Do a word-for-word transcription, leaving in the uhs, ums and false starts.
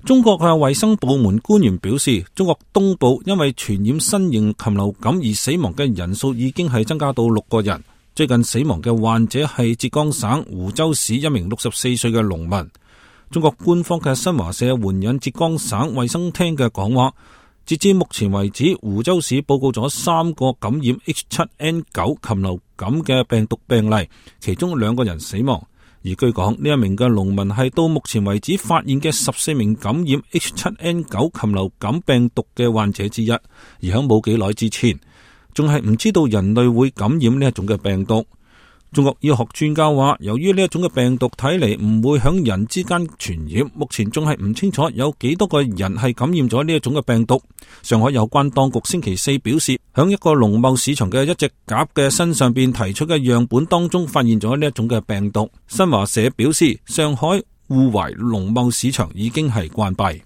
中國嘅衛生部門官員表示，中國東部因為傳染新型禽流感而死亡嘅人數已經係增加到六個人。最近死亡嘅患者係浙江省湖州市一名六十四歲嘅農民。中國官方嘅新華社援引浙江省衛生廳嘅講話，截至目前為止，湖州市報告咗三個感染 H 七 N 九 禽流感嘅病毒病例，其中兩個人死亡。而據講，呢一名嘅農民係到目前為止發現嘅十四名感染 H 七 N 九 禽流感病毒嘅患者之一，而喺冇幾耐之前，仲係唔知道人類會感染呢一種嘅病毒。中國醫學專家話，由於呢一種嘅病毒睇嚟唔會響人之間傳染，目前仲係唔清楚有幾多個人係感染咗呢一種嘅病毒。上海有關當局星期四表示，響一個農貿市場嘅一隻鴿嘅身上邊提出嘅樣本當中發現咗呢一種嘅病毒。新華社表示，上海滬淮農貿市場已經係關閉。